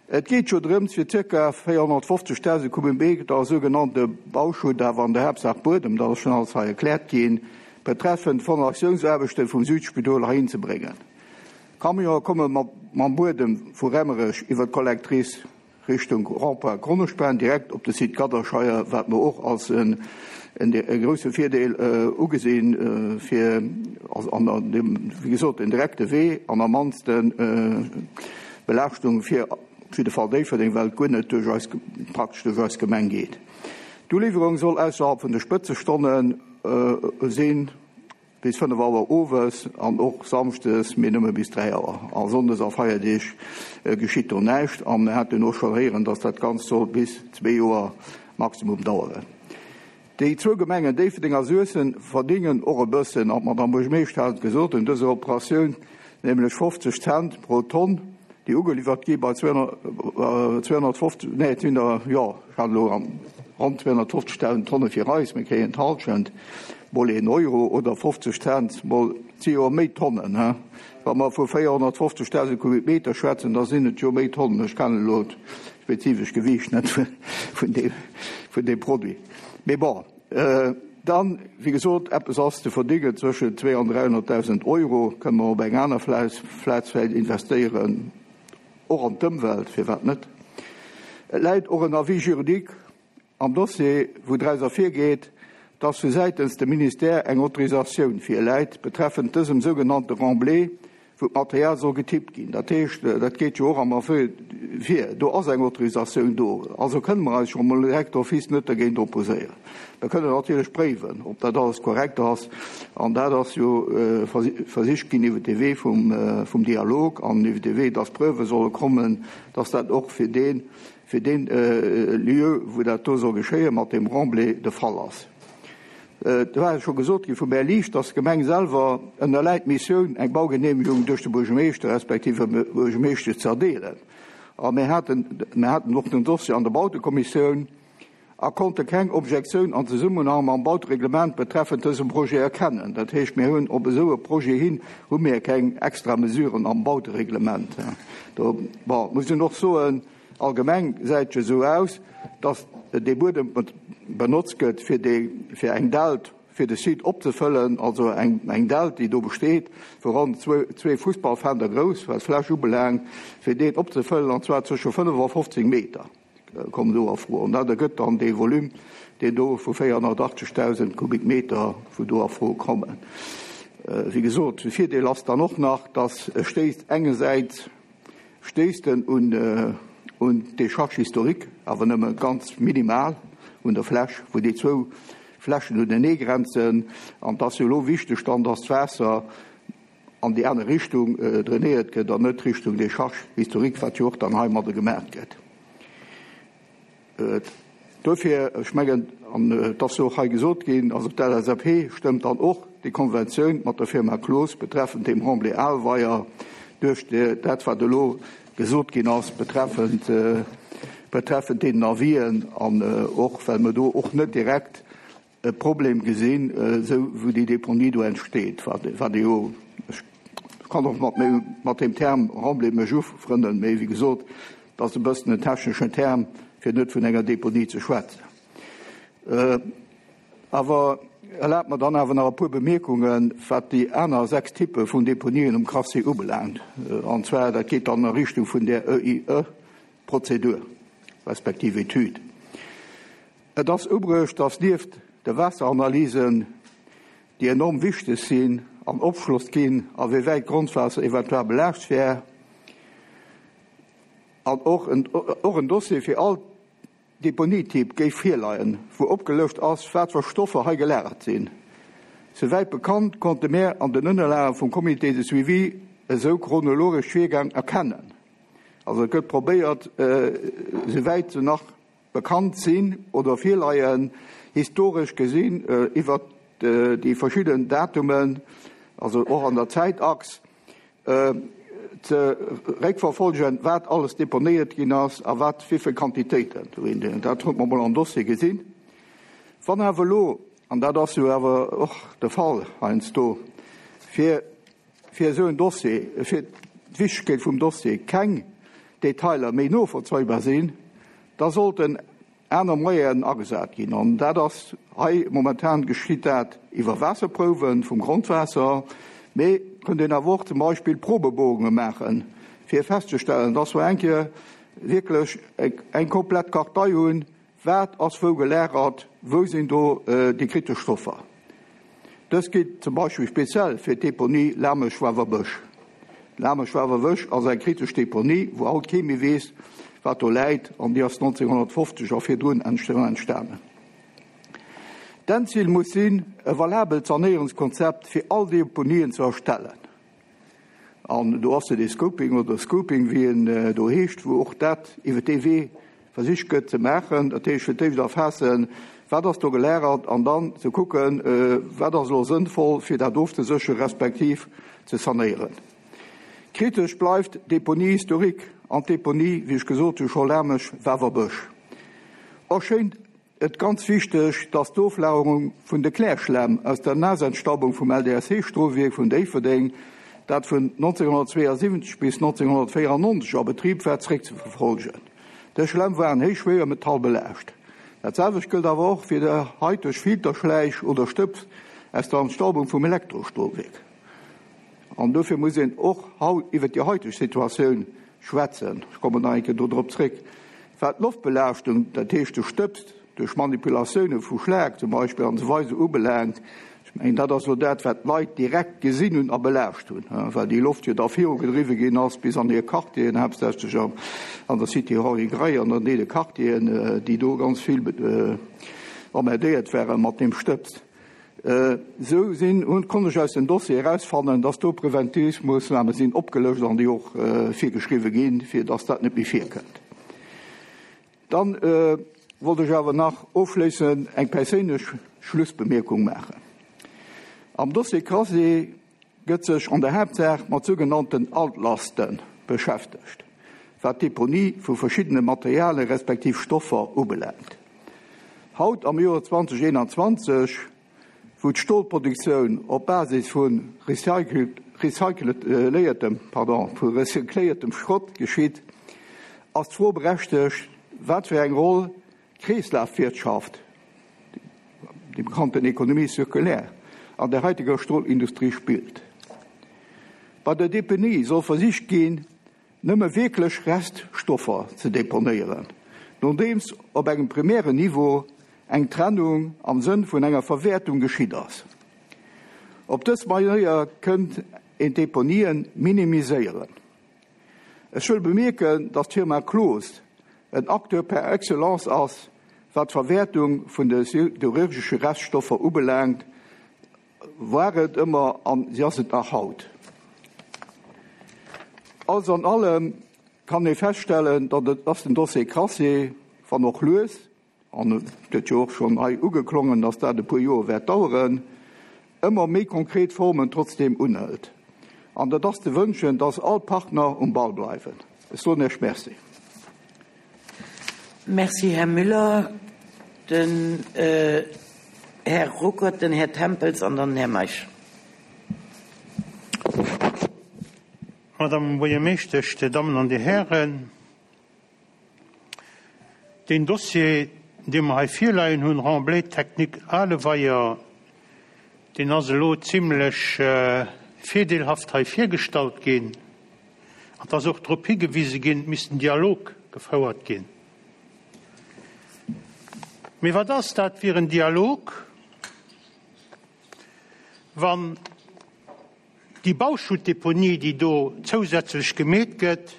Et geet jo drëms, fir zirka 450.000 Kubikmeter sougenannte Bauschutt, awer an der Haaptsaach Buedem, dat ass schonn alles hei erkläert ginn, betreffend d'Fondatiounsaarbechte vum Südspidol heihin ze bréngen. Camionë komme mam Buedem vu Remmerech iwwer d'Collectrice Richtung Rond-point Gronnespan direkt op de Site Gadderscheier, wat mer och als e grousse Virdeel ugesinn, fir an deem, wéi gesot, den direkte Wee an am mannste Belaaschtung fir op jidde Fall Déifferdeng, well et guer net duerch eis, praktesch duerch eis Gemeng geet. D'Uliwwerung soll ausserhalb vun de Spëtzestonne sinn. Bis 5 Auer owes an och samschdes, mee nëmme bis 3 Auer. A sonndes a Feierdeeg geschitt do näischt. A mir haten och schonn héieren, datt dat Ganzt soll bis zwee Joer maximum daueren. Déi zwou Gemengen Déifferdeng a Suessem verdéngen och e bëssen, an d'Madamm Buergermeeschter hat et gesot, un dëser Operatioun, nämlech 50 Cent pro Tonn, déi ugeliwwert gi bei 250, nee, et sinn der, jo, ech hat elo ronn 250.000 Tonne fir eis, mir kréien d'Hallschent. Mol een Euro oder 50 Cent mol, et si jo méi Tonnen, he? Wa mer vu 450.000 Kubikmeter schwätzen, da sinn et jo méi Tonnen. Ech kennen elo d'spezifesch Gewiicht net vun deem, vun deem Produit. Mee bon, dann, wéi gesot, eppes ass ze verdingen, zwëschen 2 an 300.000 Euro kënne mer op eng aner Plaz vläicht investéieren, och an d'Ëmwelt, firwat net? Et läit och en Avis juridique Am Dossier, wou draus ervirgeet, dass vu säitens dem Ministère eng Autorisatioun virläit betreffend dësem sougenannte Remblai, wou d'Material soll getippt ginn. Dat heescht, dat geet jo och am Avis vir, do ass eng Autorisatioun do, also kënne mer eis scho mol direkt d'office net dergéint opposéieren. Mer kënnen natierlech préiwen, ob dat alles korrekt ass, an dat ass jo versicht ginn iwwer de Wee vum Dialog an iwwer de Wee, dass Preuve solle kommen, dass dat och fir dee fir deen Lieu, wou dat do soll geschéien, mat deem Remblai de Fall ass. Et war scho gesot gi vum Här Liesch, dass d'Gemeng selwer ënnerläit d'Missioun, eng Baugenehmegung duerch de Buergermeeschter respektiv e Buergermeeschtesch ze erdeelen. A mir haten, mir haten och den Dossier an der Bautekommissioun a konnte keng Objektioun an Zesummenhang mam Bautereglement betreffend dësem Projet erkennen. Dat heescht, mir hunn op esou e Projet hin hu mir keng extra Mesuren am Bautereglement. Do, bon, muss een och soen, allgemeng gesäit et jo esou aus, dass dee Buedem benotzt gëtt, fir déi, fir eng Delt fir de Site opzefëllen, also eng, eng Delt, déi do besteet, vu ronn zwee Fussballfelder grouss, wat d'Fläch ubelaangt, fir deen opzefëllen, an zwar zwësche 5 a 15 Meter. Kommen do a Fro. An dat ergëtt dann dee Volume, deen do vu 480.000 Kubikmeter, wou do a Fro kommen. Wéi gesot, de Virdeel ass dann och nach, dass e stéisst engersäits stéisst en un un d'Décharge historique, awer nëmme ganz minimal un der Fläch, wou déi zwou Flächen uneneegrenzen. An et ass jo elo wichteg dann, dass d'Waasser an déi aner Richtung drainéiert gëtt an net Richtung Décharge historique, wat jo och dann heimadde gemaach gëtt. Duerfir, ech mengen, an et ass jo och hei gesot ginn, also d'LSAP stëmmt dann och déi Konventioun mat der Firma Cloos betreffend deem Remblai Alweier duerch dat, wat elo gesot ginn ass betreffend, betreffend deenen Avisen an och well mer do och net direkt e Problem gesinn, esou wou déi Deponie do entsteet, wat ee jo, ech kann och mat mat deem Term Remblai mech ufrënnen, mee wéi gesot, et ass e bëssen en techneschen Term, fir net vun enger Deponie ze schwätzen. Awer erlaabt mer dann awer nach e puer Bemierkungen, wat déi aner 6 Typpe vun Deponien um Crassier ubelaangt, an zwar dat geet dann a Richtung vun där EIE-Prozedur respektiv Etüd. Et ass ubruecht, dass nieft de Waasseranalysen, déi enorm wichteg sinn an Opschloss ginn, a wéi wäit d'Grondwaasser eventuell belaascht wär, an och och en Dossier fir all Deponietyp géif virleien, wou opgelëscht ass, wat fir Stoffer hei gelagert sinn. Souwäit bekannt, konnte mär an den Ënnerlage vum Comité de suivi esou chronologesch Virgäng erkennen. Also et gëtt probéiert, souwäit se nach bekannt sinn oder virleien, historesch gesinn iwwert déi verschidden Datumen, also och an der Zäitachs, ze réckverfolgen, wat alles deponéiert ginn ass a wat wéi vill Quantitéiten. Dat huet mer mol am Dossier gesinn. Wann awer elo, an dat ass jo awer och de Fall heiansdo, fir fir esou en Dossier, fir d'Wichtegkeet vum Dossier keng Detailer méi novollzéibar sinn, da sollten aner Moyenen agesat ginn. An dat ass hei momentan geschitt dat iwwer Waasserprouwe vum Grondwaasser, mee et kënnt een awer och zum Beispill Probebohrunge maachen, fir festzestellen, dass mer eng Kéier wierklech eng komplett Kartei hunn, Wat ass wou gelagert? Wou sinn do déi kritesch Stoffer? Dëst geet zum Beispill speziell fir d'Deponie Lamesch-Wawerbësch. Lamesch-Wawerbësch ass eng kritesch Deponie, wou haut kee méi weess, wat do läit, an déi ass 1950 a virdrun entstanen. D'Endzil muss sinn, e valabelt Sanéierungskonzept fir all Deponien ze erstellen. An do ass jo dee Scoping oder Scooping, wéi en do heescht, wou och dat iwwer dee Wee versicht gëtt ze maachen. Dat heescht, fir d'éischt erfaassen, wat ass do gelagert, an dann ze kucken, wat ass elo sënnvoll, fir dat ofzesécheren, respektiv ze sanéieren. Kritesch bleift d'Deponie historique an d'Deponie, wéi ech gesot hu scho, Lamesch-Wawerbësch. Och schéint. et ganz wichteg, dass d'Oflagerung vun de Klärschlämm aus der Naasentstaubung vum LDSC-Strohwierk vun Déifferdeng, dat vun 1972 bis 1994 a Betrib war, zeréckzeverfolgen. Dës Schlämm waren héich schwéiermetall belaascht. Dat selwecht gëllt awer och fir déi haiteg Filterschläich oder Stëbs aus der Entstaubung vum Elektrostrohwierk. An dofir muss een och haut iwwert déi haiteg Situatioun schwätzen. Ech kommen nach eng Kéier do drop zréck. Wat d'Loftbelaaschtung, dat heescht de Stëbs duerch Manipulatioune vu Schlak zum Beispill an esou weider ubelaangt, ech mengen, dat ass elo dat, wat d'Leit direkt gesinn hunn a belaascht hunn, well déi Loft jo da virugedriwwe ginn ass bis an hir Quartieren, haaptsächlech an der Cité Henri Gray an an deene Quartieren, déi do ganz vill emmerdéiert ware mat deem Stëbs. Esou sinn, hunn, konnt ech aus dem Dossier erausfannen, dass do Preventivmoossname sinn opgelëscht an déi och virgeschriwwe ginn, fir dass dat net méi virkënnt. Dann wollt ech awer nach ofschléissend eng perséinlech Schlussbemierkung maachen. Am Dossier Crassier gëtt sech an der Haaptsaach mat sougenannten Altlaste beschäftegt, wat d'Deponie vu verschiddene Materialien respektiv Stoffer ubelaangt. Haut am Joer 2021, wou d'Stolproduktioun op Basis vu recycléiertem Schrott geschitt, ass d'Fro berechtegt, wat fir eng Roll d'Kreeslafwirtschaft, déi bekannten Économie circulaire, an der haiteger Stolindustrie spillt. Bei der Deponie soll versicht ginn, nëmme wierklech Reststoffer ze deponéieren, nodeems op engem primären Niveau eng Trennung am Sënn vun enger Verwäertung geschitt ass. Op dës Manéier kënnt een d'Deponien minimiséieren. Ech wëll bemierken, dass d'Firma Cloos en Acteur par excellence ass, wat d'Verwäertung vun de siderurgesche Reststoffer ubelaangt, war et ëmmer an si ass et nach haut. Alles an allem kann ee feststellen, dass den Dossier Crassier, wann och lues, an et gëtt jo och schonn hei ugeklongen, dass dat e puer Joer wäert daueren, ëmmer méi konkret Formen trotzdeem unhëlt. An et ass ze wënschen, dass all Partner um Ball bleiwen. Ech soen Iech Merci. Merci, Här Müller. Den Här Ruckert, den Här Tempels an dann den Här Meisch. Madame Buergermeeschtesch, Dir Dammen an Dir Hären, Deen Dossier, dee mer hei virleien hunn, Remblai technique Aleweier, deen ass elo zimlech virdeelhaft hei virgestallt ginn. An et ass och drop higewise ginn, et misst en Dialog gefouert ginn. Mee wat ass dat fir en Dialog, wann déi Bauschuttdeponie, déi do zousätzlech gemeet gëtt,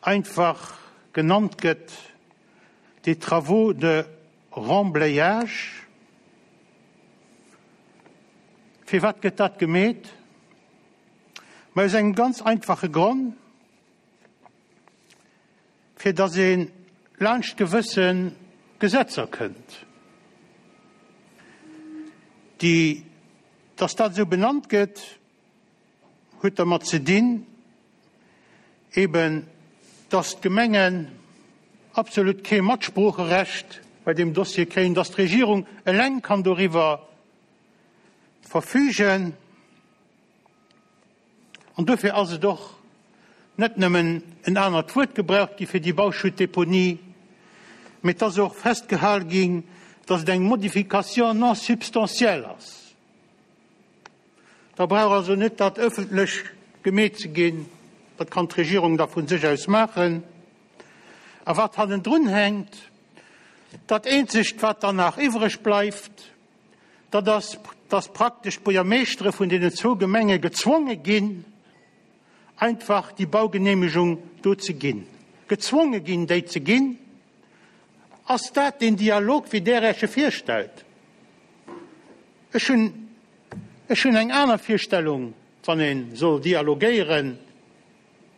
einfach genannt gëtt, des travaux de remblayage. Firwat gëtt dat gemeet? Ma aus engem ganz einfache Gronn, fir datt ee laanscht gewësse Gesetzer kënnt, déi, datt dat esou benannt gëtt, huet dermat ze dinn, eben dass d'Gemengen absolut kee Matsproocherecht bei deem Dossier kréien, dass d'Regierung eleng kann doriwwer verfügen. An dofir ass et och net nëmmen en anert Wuert gebraucht gi fir déi Bauschuttdeponie, mee et ass och festgehal ginn, dass et eng Modification non substantielle ass. Da brauch also net dat ëffentlech gemeet ze ginn, dat kann d'Regierung da vu sech aus maachen. A wat hannendrun hänkt, dat eenzegt wat dann nach iwwreg bleift, dat ass, dass praktesch d'Buergermeeschtere vun deenen zwou Gemenge gezwonge ginn, einfach déi Baugenehmegung do ze ginn, gezwonge ginn déi ze ginn. Ass dat deen Dialog, wéi Der Iech e virstellt? Ech hunn, ech hunn eng aner Virstellung, wann ee soll dialogéieren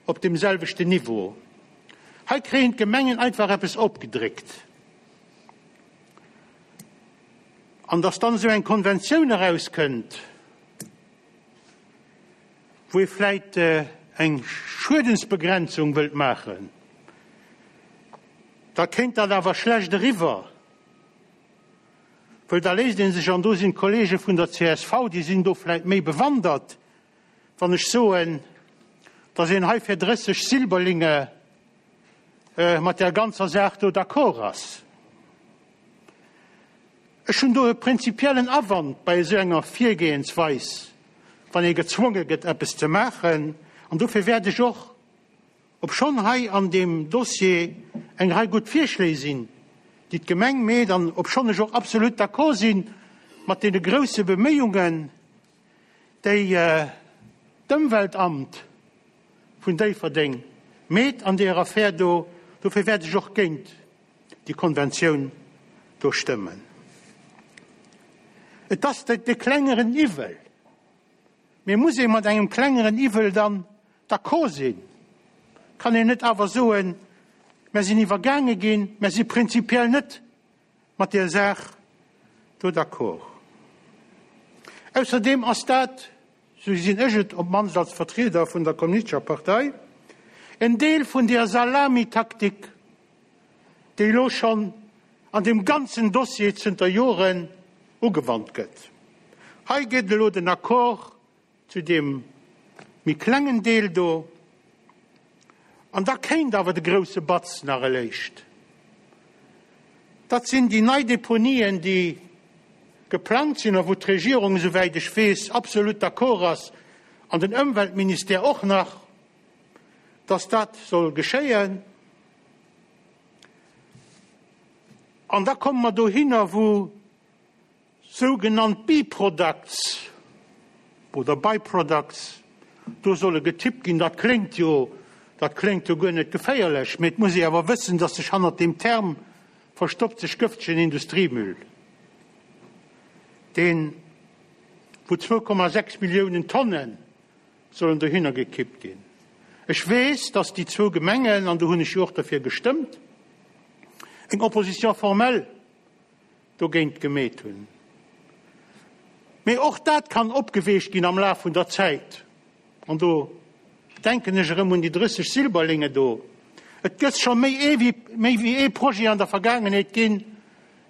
op deem selwechten Niveau. Hei kréien d'Gemengen einfach eppes opgedréckt. An dass dann esou eng Konventioun erauskënnt, wou ee vläit eng Schuedensbegrenzung wëllt maachen. Da kéint dat awer schlecht eriwwer, wëll da léisst ee sech, an do sinn d'Kollege vun der csv, déi sinn do vläicht méi bewandert, wann ech soen, datt een hei fir 30 Silberlinge mat där ganzer Saach do d'accord ass. Ech hunn do e prinzipiellen Awand bei esou enger Virgehensweis, wann ee gezwonge gëtt, eppes ze maachen. An dofir wäert ech och, obschonn hei an deem Dossier eng Rei gutt Virschléi sinn, déi d'Gemeng meet, an obschonn ech och absolut d'accord si mat deene grouse Beméiungen, déi d'Ëmweltamt vun Déifferdeng meet an deer Affär do, dofir wäert ech och géint déi Konventioun do stëmmen. Et ass de klengeren Iwwel. Mee muss ee mat engem klengeren Iwwel dann d'accord sinn? Kann een net awer soen, Mer sinn iwwergaange ginn, mer si prinzipiell net mat där Saach do d'accord? Ausserdeem ass dat, sou gesinn ech et op d'mannst als Vertrieder vun der Kommunistescher Partei, en Deel vun där Salamitaktik, déi elo schonn an deem ganzen Dossier zënter Joren ugewannt gëtt. Hei gëtt elo den Accord zu deem méi klengen Deel do, an da kéint awer de grouse Batz nach eléischt. Dat sinn déi nei Deponien, déi geplangt sinn a wou d'Regierung, esouwäit ech weess, absolut d'accord ass, an den Ëmweltministère och nach, dass dat soll geschéien. An da komme mer dohinner, wou sougenannt Bi-Products oder By-Products do solle getippt ginn. Dat kléngt jo, dat kléngt jo guer net geféierlech, mee et muss ee awer wëssen, dass sech hannert deem Term verstoppt sech gëftegen Industriemüll, deen, wou 2,6 Milliounen Tonnen sollen dohinner gekippt ginn. Ech weess, dass déi zwou Gemengen, an do hunn ech jo och derfir gestëmmt, eng Opposition formelle dogéint gemeet hunn. Mee och dat kann opgeweecht ginn am Laf vun der Zäit. An do denken ech erëm un déi 30 Silberlinge do. Et gëtt scho méi ee wéi, méi wéi ee Projet an der Vergaangenheet ginn,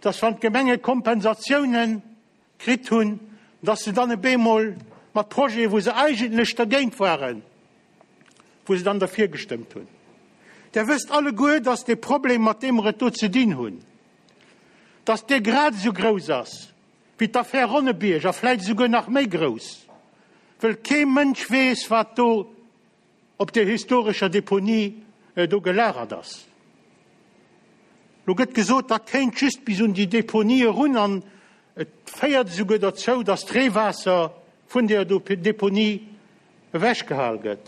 dass wann d'Gemenge Kompensatiounen kritt hunn, dass se dann e bemol mat Projeten, wou se eigentlech dergéint waren, wou se dann derfir gestëmmt hunn. Der wësst alleguer, dass dee Problem, mat deem mer et do ze dinn hunn, dass dee grad esou grouss ass wéi d'Affär Ronnebierg a vläicht esouguer nach méi grouss, wëll kee Mënsch weess, wat do op där historescher Deponie do gelagert ass. Lo gëtt gesot, dat kéint just bis un déi Deponie erun an et féiert esouguer derzou, datt d'Reewaasser vun där Deponie ewechgehal gëtt.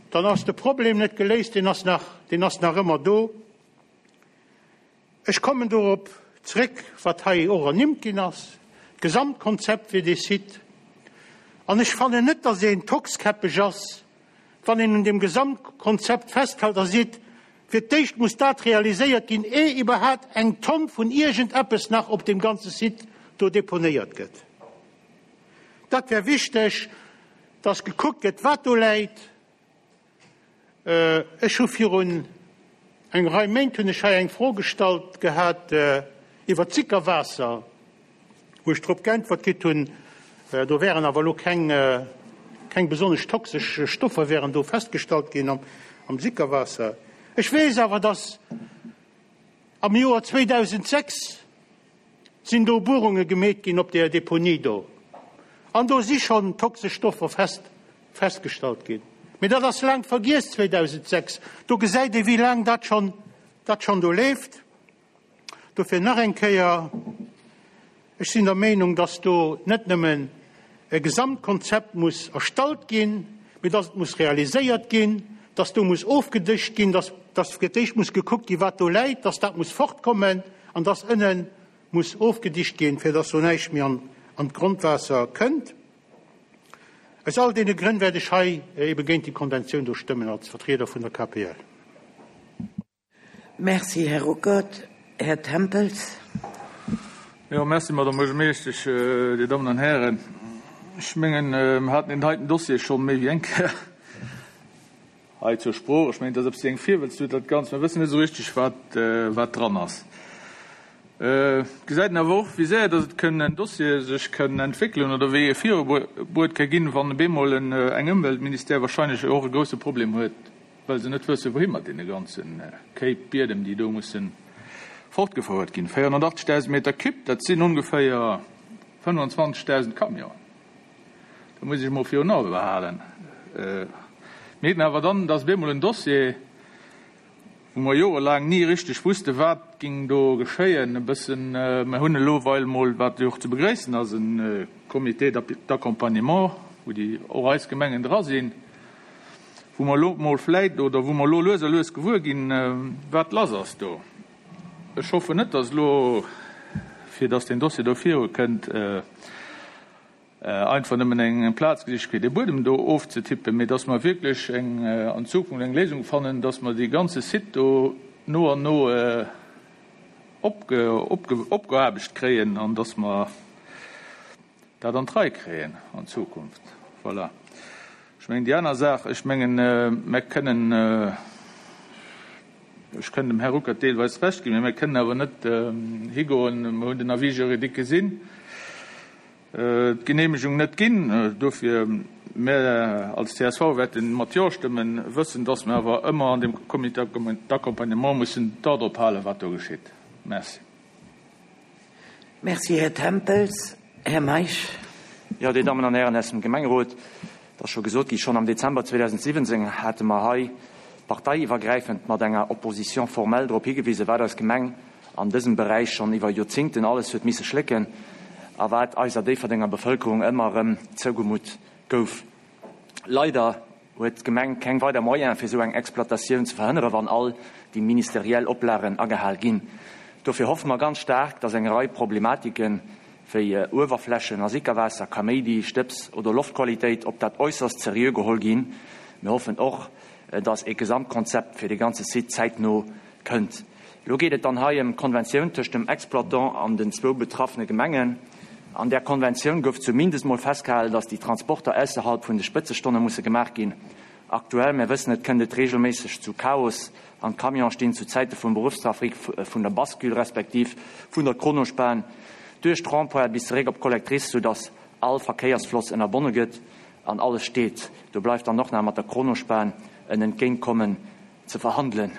Dann ass de Problem net geléist, deen ass nach, deen ass nach ëmmer do. Ech kommen dorop zréck, wat hei och ernimmt ginn ass, d'Gesamtkonzept fir dee Site. An ech fannen net, dass een tockskäppeg ass, wann een un deem Gesamtkonzept festhält a seet, Fir d'éischt muss dat realiséiert ginn, eh iwwerhaapt eng Tonn vun iergendeppes nach op deem ganze Site do deponéiert gëtt. Dat wär wichteg, dass gekuckt gëtt, wat do läit. Ech hu virun eng Rei Méint hunn ech hei eng Fro gestallt gehat iwwert d'Sickerwaasser, wou ech drop geäntwert kritt hunn, do wären awer elo keng, keng besonnesch toxesch Stoffer wären do festgestallt ginn am Sickerwaasser. Ech weess awer, datt am Joer 2006 sinn do Buerunge gemeet ginn op där Deponie do an do si schonn toxesch Stoffer fest festgestallt ginn. Mee dat ass laang vergiess, 2006. Do gesäit ee wéi laang dat schonn dat schonn do leeft. Dofir nach eng Kéier, Ech sinn der Meenung, dass do net nëmmen e Gesamtkonzept muss erstallt ginn, mee dass et muss realiséiert ginn, dass do muss ofgedëscht ginn, dass dass fir d'éischt muss gekuckt ginn, wat do läit, dass dat muss fortkommen an dass ënne muss ofgedicht ginn, fir dass do näischt méi an an d'Grondwaasser kënnt. Aus all deene Grënn wäert ech hei ebe géint déi Konventioun do stëmmen als Vertrieder vun der KPL. Merci, Här Ruckert. Här Tempels. Jo, merci, Madame Buergermeeschtesch, Dir Dammen an Hären. Ech mengen, mer haten deen heiten Dossier scho méi wéi eng Kéier. hei zur Sprooch. Ech mengen, et ass e bëssi eng Virwëlztut dat Ganzt. Mer wëssen net esou richteg, wat, wat dran ass. Et gesäit een awer och, wéi séier datt et kënn en Dossier sech kënn entwéckelen oder wéi e virubruet ka ginn, wann op eemol eng Ëmweltministère wahrscheinlech och e grousse Problem huet, well se net wësse wouhi mat deene ganze Kéip Biedem, déi do musse fortgefouert ginn. 480.000 Meter Cube, dat sinn ongeféier 25.000 Camionen. Dat muss ech emol virun Ae behalen. Mir hätten awer dann, dat ass op eemol en Dossier, wou mer jorelaang ni richteg wusste wat ging do geschéien, e bëssen, mer hunn elo weil mol, wat jo och ze begréissen ass, e Comité d'accompagnement, wou déi och eis Gemengen dra sinn, wou mer elo mol vläit oder wou mer elo lues a lues gewuer ginn, wat lass ass do. Ech hoffen net, dass elo, fir dass deen Dossier do virukënnt, einfach nëmmen eng Plaz gesicht fir dee Buedem do ofzetippen, mee dass mer wierklech eng an Zukunft eng Léisung fannen, dass mer dee ganze Site do no an no opgeaarbecht kréien an dass mer dat an d'Rei kréien an Zukunft. Voilà. Ech mengen déi aner Saach, ech mengen mer kënnen, ech kënnen dem Här Ruckert deelweis Recht ginn, mee mer kënnen awer net higoen, mer hunn den Avis juridique gesinn, d'Geneemegung net ginn. Dofir, mir als csv wäerte mat Jo stëmmen, wëssend, dass mir awer ëmmer an deem Comité d'accompagnement mussen d'A drop halen, wat do geschitt. Merci. Merci, Här Tempels. Här Meisch. Jo, Dir Dammen an Hären aus dem Gemengerot, et ass scho gesot gi, schonn am Dezember 2017 hate mer hei parteiiwwergräifend mat enger Opposition formelle drop higewisen, wat eis Gemeng an dësem Beräich schonn iwwer Joerzingten alles huet misse schlécken a wat eiser Déifferdenger Bevëlkerung ëmmer erëm zougemutt gouf. Leider huet d'Gemeng keng weider Moyene fir esou eng Exploitatioun ze verhënnere wann all déi ministeriell Oplagen agehal ginn. Dofir hoffe mer ganz staark, dass eng Rei Problematiken wéi Uewerflächen a Sickerwaasser, Kaméidi, Stëbs oder Loftqualitéit op dat äusserst seriö geholl ginn. Mir hoffen och, dass ee Gesamtkonzept fir de ganze Site zäitno kënnt. Elo geet et dann hei ëm d'Konventioun tëscht dem Exploitant an den zwou betraffene Gemengen. An där Konventioun gouf zumindest mol festgehalen, datt déi Transporter ausserhalb vun de Spëtzestonne musse gemaach ginn. Aktuell, mir wëssen et, kënnt et reegelméisseg zu Chaos an d'Camionen stinn zu Zäite vum Beruffstrafic vun der Bascule respektiv vun der Kronospan duerch d'Rond-pointe bis zeréck op d'Collectrice, soudatt all Verkéiersfloss ënnerbonne gëtt an alles steet. Do bleift dann och nach mat der Kronospan en Entgéintkommen ze verhandelen.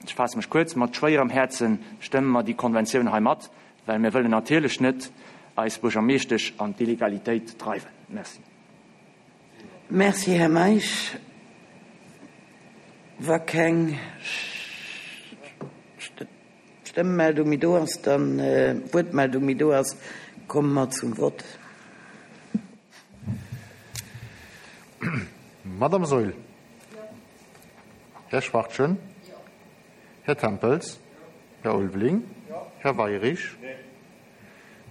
Ech faasse mech kuerz, Mat schwéierem Häerze stëmme mer déi Konventioun hei mat, well mir wëllen natierlech net eis Buergermeeschtesch an d'Illegalitéit dreiwen. Merci. Merci, Här Meisch. Wa keng Stëmmmeldung méi do ass, dann, Wuertmeldung méi do ass, komme mer zum Vott. Madame Saeul. Här Schwachtgen? Här Tempels? Här Ulveling? Här Weirich?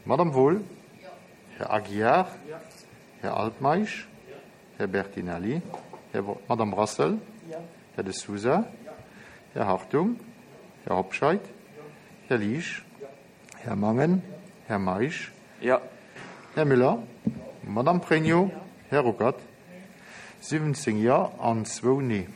Madame Wohl? Här Aguiar? Här Altmeisch? Här Bertinelli? Här, Madame Brassel? Här De Sousa? Här Hartung? Här Hobscheit? Här Liesch? Här Mangen? Här Meisch? Här Müller? Madame Pregno? Här Ruckert? 17 Jo an zwou Nee.